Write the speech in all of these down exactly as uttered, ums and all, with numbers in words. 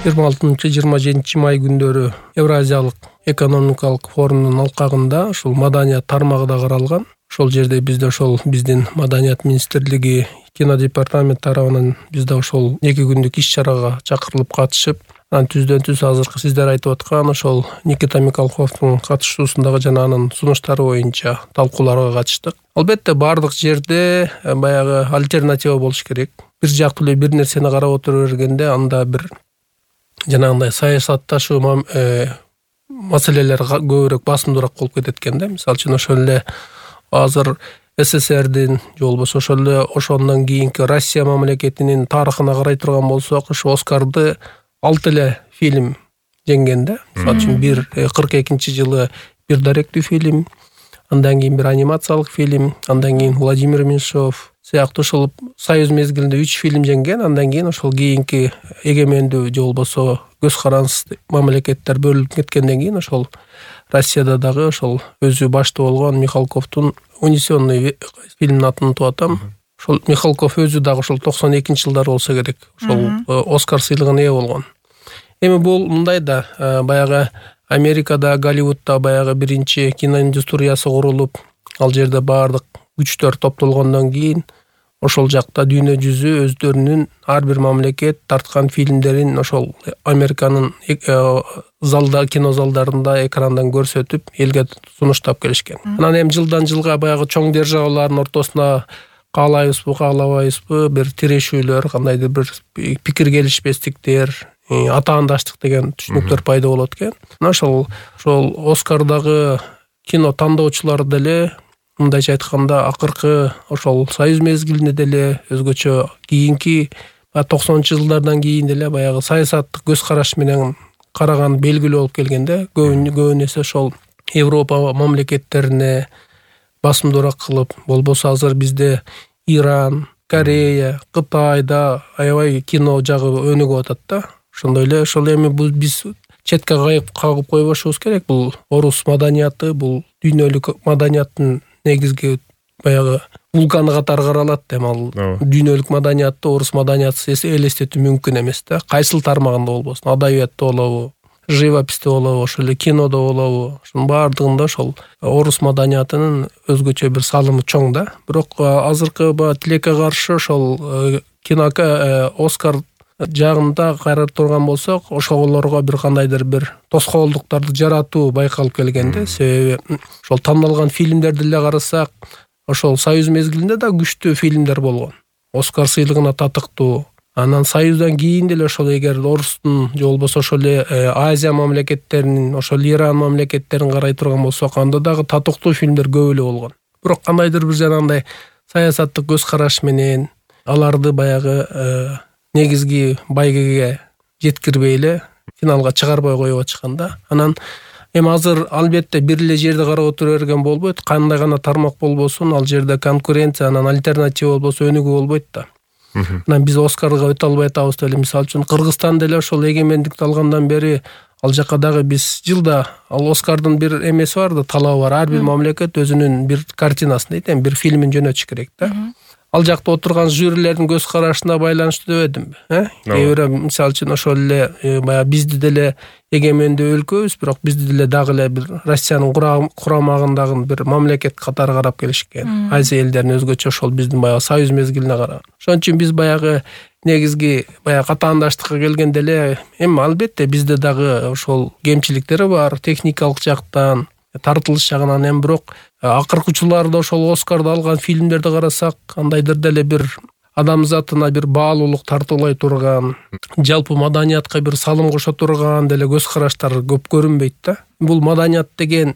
жыйырма алтынчы жыйырма жетинчи май күндөрү Евразиялык экономикалык форумдун алкагында ушул маданият тармагы да каралган. Ошол жерде бизде ошол биздин маданият министрлиги кино департамент тарабынан бизде ошол эки күндүк иш-чарага чакырылып катышып, анан түздөн түз азыркы сиздер айтып аткан ошол Никита Михалковдун катышуусундагы жана анын сунуштары боюнча талкууларга катыштык. Албетте бардык жерде баягы альтернатива болуш керек. Бир жактуу эле бир нерсени карап отура бергенде анда бир жанагындай саясатташуу маселелер көбүрөөк басымдуураак болуп кетет экен да. Мисалы үчүн ошол эле азыр СССРдин же болбосо ошол эле ошондон кийинки Россия мамлекетинин тарыхына карай турган болсок, ошо Оскарды алты эле фильм жеңген да. Мисалы үчүн бир кырк экинчи жылы бир даректүү фильм, андан кийин бир анимациялык фильм, андан кийин Владимир Меньшов сыяктуу ошол Союз мезгилинде үч фильм жеңген. Андан кийин ошол кийинки эгемендүү же болбосо көз карансыз мамлекеттер бөлүнүп кеткенден кийин ошол Россияда дагы ошол өзү баштуу болгон Михалковдун «Унесённый» фильмдин атын унутуп атам. Ошол Михалков өзү дагы ошол токсон экинчи жылдары болсо керек ошол Оскар сыйлыгына ээ болгон. Эми бул мындай да, баягы Америкада, Голливудда баягы биринчи киноиндустриясы курулуп, ал жерде баардык күчтөр топтолгондон кийин ошол жакта дүйнө жүзү өздөрүнүн ар бир мамлекет тарткан фильмдерин ошол Американын залда, кино залдарында экрандан көрсөтүп, элге сунуштап келишкен. Анан эми жылдан жылга баягы чоң державалардын ортосуна каалайбызбы, каалабайбызбы бир тирешүүлөр, кандайдыр бир пикир келишпестиктер, атаандаштык деген түшүнүктөр пайда болот экен. Ошол ошол Оскардагы кино тандоочулары деле мындайча айтканда акыркы ошол Союз мезгилинде деле өзгөчө кийинки токсонунчу жылдардан кийин деле баягы саясаттык көз караш менен караган белгилүү болуп келгенде, көбүн эсе ошол Европа мамлекеттерине басымдуураак кылып, болбосо азыр бизде Иран, Корея, Кытайда аябай кино жагы өнүгүп атат да. Ошондой эле ошол эми биз четке кагып койбошубуз керек. Бул орус маданияты, бул дүйнөлүк маданияттын негизги баягы вулканы катары каралат. Эми ал дүйнөлүк маданиятты орус маданиятысыз элестетүү мүмкүн эмес да. Кайсыл тармагында болбосун, адабиятта болобу, живописте болобу, ошол эле кинодо болобу, ошонун баардыгында ошол орус маданиятынын өзгөчө бир салымы чоң да. Бирок азыркы тилекке каршы ошол кино Оскар жагында карап турган болсок, ошолорго бир кандайдыр бир тоскоолдуктарды жаратуу байкалып келгенде, себеби ошол тандалган фильмдерди эле карасак, ошол Союз мезгилинде да күчтүү фильмдер болгон. Оскар сыйлыгына татыктуу. Анан Союздан кийин деле ошол эгер орустун же болбосо ошол эле Азия мамлекеттеринин, ошол Иран мамлекеттерин карай турган болсок, анда дагы татыктуу фильмдер көп эле болгон. Бирок кандайдыр бир жанагындай саясаттык көз караш менен аларды баягы негизги байгеге жеткирбей эле финалга чыгарбай коюп атышкан да. Анан эми азыр албетте бир эле жерди карап отура берген болбойт. Кандай гана тармак болбосун, ал жерде конкуренция, анан альтернатива болбосо өнүгүү болбойт да. Анан биз Оскарга өтө албай атабыз деле. Мисалы үчүн Кыргызстан деле ошол эгемендикти алгандан бери ал жака дагы биз жылда ал Оскардын бир эмеси бар да, талабы бар. Ар бир мамлекет өзүнүн бир картинасын дейт, эми бир фильмин жөнөтүш керек да. Ал жакта отурган жюрилердин көз карашына байланыштуу дебедимби? Кээ бирөө мисалы үчүн ошол эле баягы бизди деле эгемендүү өлкөбүз, бирок бизди деле дагы эле бир Россиянын курамагындагы бир мамлекет катары карап келишкен. Азия элдерин өзгөчө ошол биздин баягы Союз мезгилине караган. Ошон үчүн биз баягы негизги баягы катаандаштыкка келгенде эле эми албетте бизде дагы ошол кемчиликтери бар, техникалык жактан, тартылыш жагынан. Эми бирок акыркы учурларда ошол Оскарды алган фильмдерди карасак, кандайдыр деле бир адамзатына бир баалуулук тартуулай турган, жалпы маданиятка бир салым кошо турган деле көз караштар көп көрүнбөйт да. Бул маданият деген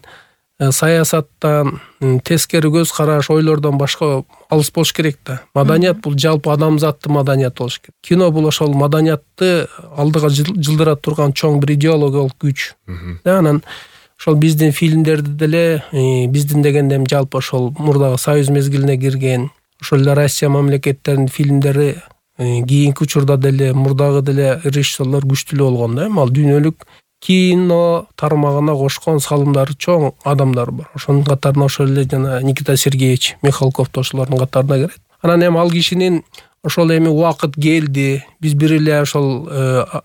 саясаттан, тескери көз караш, ойлордон башка алыс болуш керек да. Маданият бул жалпы адамзаттын маданият болуш керек. Кино бул ошол маданиятты алдыга жылдыра турган чоң бир идеологиялык күч. Анан ошол биздин фильмдерди деле, биздин дегенде жалпы ошол мурдагы Союз мезгилине кирген, ошол эле Россия мамлекеттеринин фильмдери кийинки учурда деле мурдагы деле режиссерлор күчтүү болгон да. Эми ал дүйнөлүк кино тармагына кошкон салымдары чоң адамдар бар. Ошонун катарына ошол эле жана Никита Сергеевич Михалков да ошолордун катарына кирет. Анан эми ал кишинин ошол эми убакыт келди, биз бир эле ошол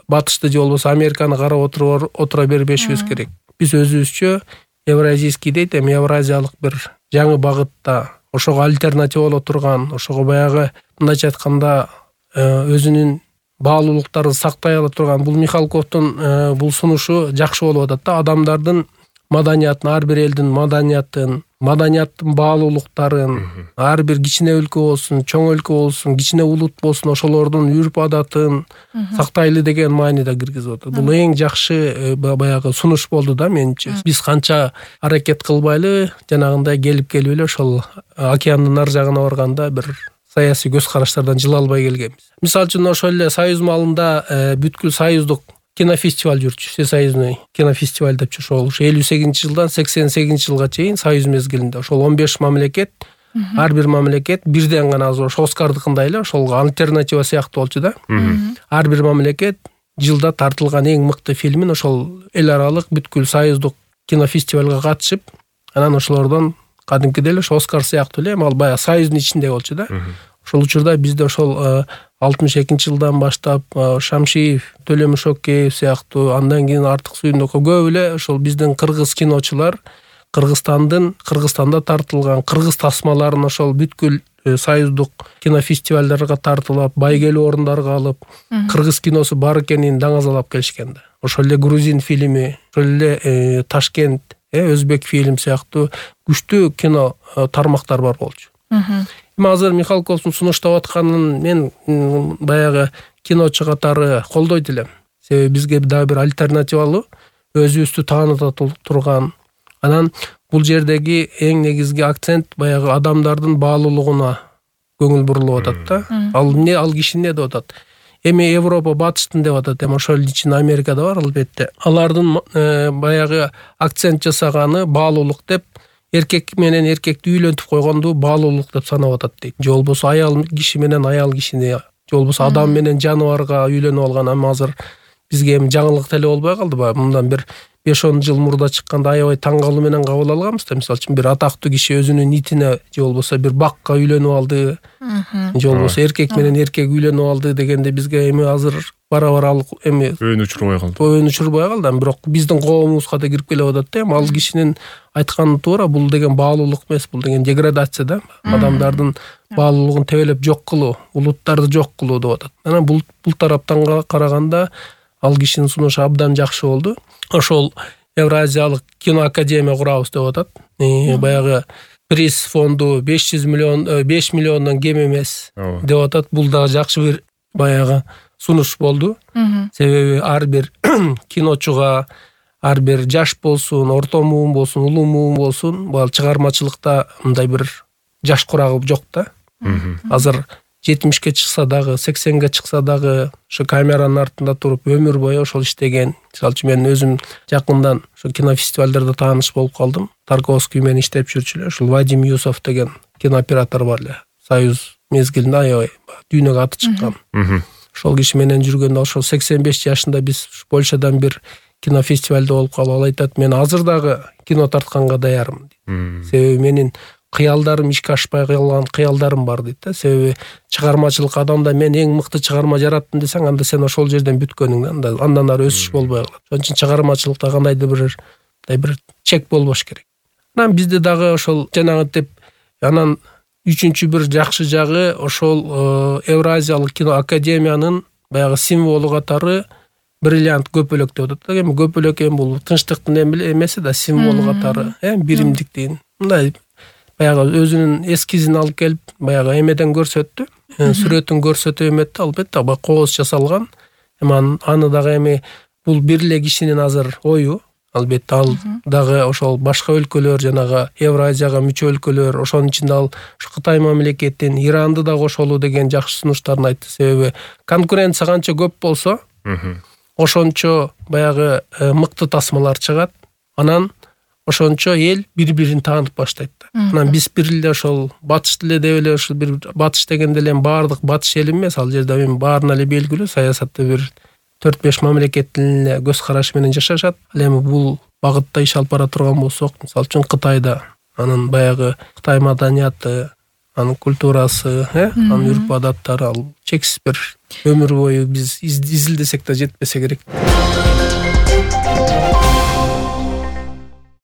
батышты же болбосо Американы карап отуруп отура бербешибиз керек. Биз өзүбүзчө евразийский дейт, эми евразиялык бир жаңы багытта ошого альтернатива боло турган, ошого баягы мындайча айтканда өзүнүн баалуулуктарын сактай ала турган бул Михалковдун бул сунушу жакшы болуп атат да. Адамдардын маданиятын, ар бир элдин маданиятын, маданияттын баалуулуктарын, ар бир кичине өлкө болсун, чоң өлкө болсун, кичине улут болсун, ошолордун үрп адатын сактайлы деген мааниде киргизип атат. Бул эң жакшы баягы сунуш болду да менимче. Биз канча аракет кылбайлы, жанагындай келип келип эле ошол океандын ар жагына барганда бир саясий көз караштардан жыла албай келгенбиз. Мисалы үчүн ошол эле Союз маалында бүткүл союздук кинофестиваль жүрчү, всесоюзный кинофестиваль деп ошол элүү сегизинчи жылдан сексен сегизинчи жылга чейин союз мезгилинде ошол он беш мамлекет, ар бир мамлекет бирден гана азыр ошо Оскардыкындай эле ошол альтернатива сыяктуу болчу да. Ар бир мамлекет жылда тартылган эң мыкты фильмин ошол эл аралык бүткүл союздук кинофестивалга катышып, анан ошолордон кадимкидей эле ошо Оскар сыяктуу эле, ал баягы союздун ичинде болчу да. Ошол учурда бизде ошол алтымыш экинчи жылдан баштап Шамшиев, Төлөмүшөкеев сыяктуу, андан кийин Артык Сүйүндүков көп эле ошол биздин кыргыз киночулар Кыргызстандын Кыргызстанда тартылган кыргыз тасмаларын ошол бүткүл союздук кинофестивалдарга тартылап, байгелүү орундарга алып, кыргыз киносу бар экенин даңазалап келишкен да. Ошол эле грузин фильми, ошол эле Ташкент, өзбек фильм сыяктуу күчтүү кино тармактар бар болчу. Эми азыр Михалковдун сунуштап атканын мен баягы киночу катары колдойт элем. Себеби бизге дагы бир альтернативалуу, өзүбүздү тааныта турган. Анан бул жердеги эң негизги акцент баягы адамдардын баалуулугуна көңүл бурулуп атат да. Ал эмне, ал киши эмне деп атат? Эми Европа батыштын деп атат, эми ошол ичинде Америкада бар албетте. Алардын баягы акцент жасаганы баалуулук деп, эркек менен эркекти үйлөнтүп койгонду баалуулук деп санап атат дейт. Же болбосо аял киши менен аял кишини, же болбосо адам менен жаныбарга үйлөнүп алган. Ама азыр бизге эми жаңылык деле болбой калдыбы? Мындан бир беш он жыл мурда чыкканда аябай таң калуу менен кабыл алганбыз да. Мисалы үчүн бир атактуу киши өзүнүн итине же болбосо бир бакка үйлөнүп алды, же болбосо эркек менен эркек үйлөнүп алды дегенде бизге эми азыр бара-бара ал эми өйүн учурбай калды. Өйүн учурбай калды. Бирок биздин коомубузга да кирип келип атат да. Эми ал кишинин айтканы туура, бул деген баалуулук эмес, бул деген деградация да. Адамдардын баалуулугун тебелеп жок кылуу, улуттарды жок кылуу деп атат. Анан бул бул тараптан караганда ал кишинин сунушу абдан жакшы болду. Ошол Евразиялык кино академия курабыз деп атат. Баягы приз фонду беш жүз миллион, беш миллиондон кем эмес деп атат. Бул дагы жакшы бир баягы сунуш болду. Себеби ар бир киночуга, ар бир жаш болсун, орто муун болсун, улуу муун болсун, бул чыгармачылыкта мындай бир жаш курагы жок да. Азыр жетимишке чыкса дагы, сексенге чыкса дагы ошо камеранын артында туруп өмүр бою ошол иштеген. Мисалы үчүн мен өзүм жакындан ошо кинофестивалдарда тааныш болуп калдым. Тарковский менен иштеп жүрчү эле ушул Вадим Юсов деген кинооператор бар эле. Союз мезгилинде аябай дүйнөгө аты чыккан. Ошол киши менен жүргөндө ошол сексен беш жашында биз Польшадан бир кинофестивалда болуп калып, ал айтат, мен азыр дагы кино тартканга даярмын дейт. Себеби менин кыялдарым ишке ашпай калган кыялдарым бар дейт да. Себеби чыгармачылык адамда мен эң мыкты чыгарма жараттым десең, анда сен ошол жерден бүткөнүң да, андан ары өсүш болбой калат. Ошон үчүн чыгармачылыкта кандайдыр бир бир чек болбош керек. Анан бизде дагы ошол жанагынтип, анан үчүнчү бир жакшы жагы ошол Евразиялык кино академиянын баягы символу катары бриллиант көпөлөк деп атат. Эми көпөлөк эми бул тынчтыктын эмеси да, символу катары, эми биримдиктин. Мындай баягы өзүнүн эскизин алып келип, баягы эмеден көрсөттү, сүрөтүн көрсөтө эметти, албетте баягы кооз жасалган. Эми аны дагы эми бул бир эле кишинин азыр ою, албетте ал дагы ошол башка өлкөлөр, жанагы Евразияга мүчө өлкөлөр, ошонун ичинде ал Кытай мамлекетин, Иранды да кошолу деген жакшы сунуштарын айтты. Себеби конкуренция канча көп болсо, ошончо баягы мыкты тасмалар чыгат. Анан ошончо эл бири-бирин таанып баштайт да. Анан биз бир эле ошол батыш эле деп эле ошол бир батыш дегенде эле баардык батыш эл эмес, ал жерде эми баарына эле белгилүү саясатта бир төрт беш мамлекеттин эле көз карашы менен жашашат. Ал эми бул багытта иш алып бара турган болсок, мисалы үчүн Кытайда анын баягы Кытай маданияты, анын культурасы, э анын үрп адаттары ал чексиз бир өмүр бою биз изилдесек да жетпесе керек.